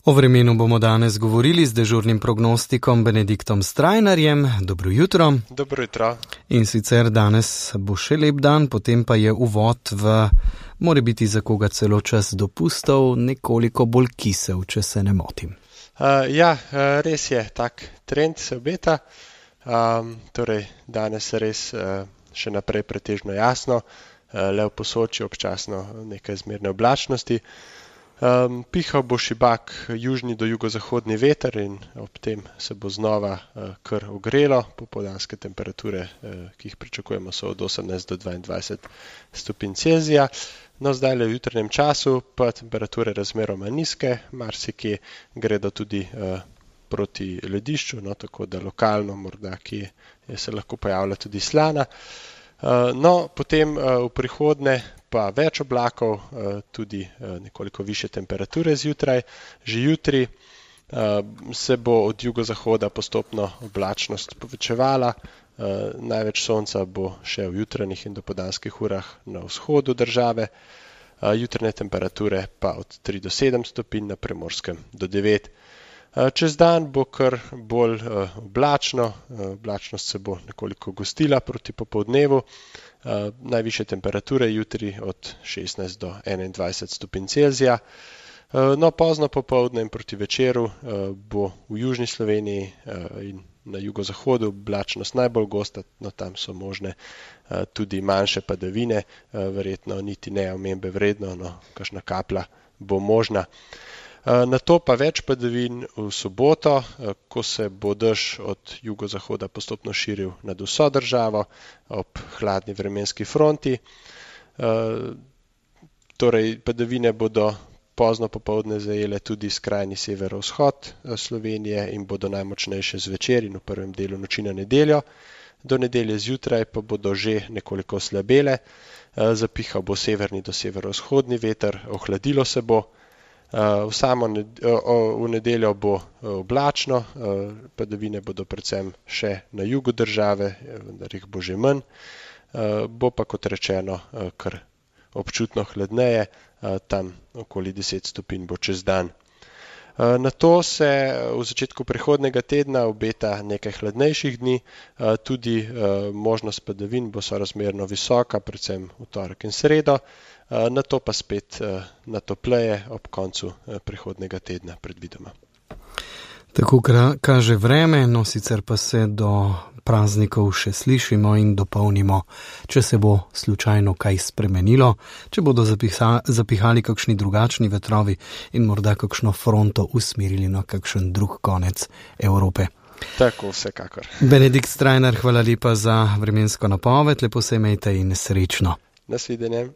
O vremenu bomo danes govorili z dežurnim prognostikom Benediktom Strajnarjem. Dobro jutro. Dobro jutro. In sicer danes bo še lep dan, potem pa je uvod v, more biti za koga celo čas dopustov, nekoliko bolj kisel, če se ne motim. Res je, tak trend se obeta. Torej, danes res še naprej pretežno jasno, le v Posočju občasno nekaj zmerne oblačnosti. Pihal bo šibak južni do jugozahodni veter in ob tem se bo znova kar ogrelo. Popoldanske temperature, ki jih pričakujemo, so od 18 do 22 stopinj Celzija. No, zdaj v jutrnjem času pa temperature razmeroma nizke, marsikje gredo tudi proti ledišču, no, tako da lokalno morda kje se lahko pojavlja tudi slana. No, potem v prihodnje pa več oblakov, tudi nekoliko više temperature zjutraj. Že jutri se bo od jugozahoda postopno oblačnost povečevala, največ sonca bo še v jutranjih in dopoldanskih urah na vzhodu države, jutranje temperature pa od 3 do 7 stopinj, na Primorskem do 9. Čez dan bo kar bolj oblačno, oblačnost se bo nekoliko gostila proti popoldnevu, najvišje temperature jutri od 16 do 21 stopinj Celzija. No, pozno popoldne in proti večeru bo v južni Sloveniji in na jugozahodu oblačnost najbolj gosta, no tam so možne tudi manjše padavine, verjetno niti ne omembe vredno, no kakšna kaplja bo možna. Nato pa več padavin v soboto, ko se bo dež od jugozahoda postopno širil nad vso državo ob hladni vremenski fronti. Torej, padavine bodo pozno popoldne zajele tudi skrajni severovzhod Slovenije in bodo najmočnejše zvečer in v prvem delu noči na nedeljo. Do nedelje zjutraj pa bodo že nekoliko slabele, zapihal bo severni do severovzhodni veter, ohladilo se bo. V nedeljo bo oblačno, padavine bodo predvsem še na jugu države, vendar jih bo že manj, bo pa kot rečeno kar občutno hladneje, tam okoli 10 stopinj bo čez dan. Nato se v začetku prihodnjega tedna obeta nekaj hladnejših dni, tudi možnost padavin bo sorazmerno visoka, predvsem v torek in sredo. Nato pa spet natopleje ob koncu prihodnjega tedna predvidoma. Tako kaže vreme, no sicer pa se do praznikov še slišimo in dopolnimo, če se bo slučajno kaj spremenilo, če bodo zapihali kakšni drugačni vetrovi in morda kakšno fronto usmerili na kakšen drug konec Evrope. Tako, vsekakor. Benedikt Strajnar, hvala lepa za vremensko napoved, lepo se imejte in srečno. Nasvidenje.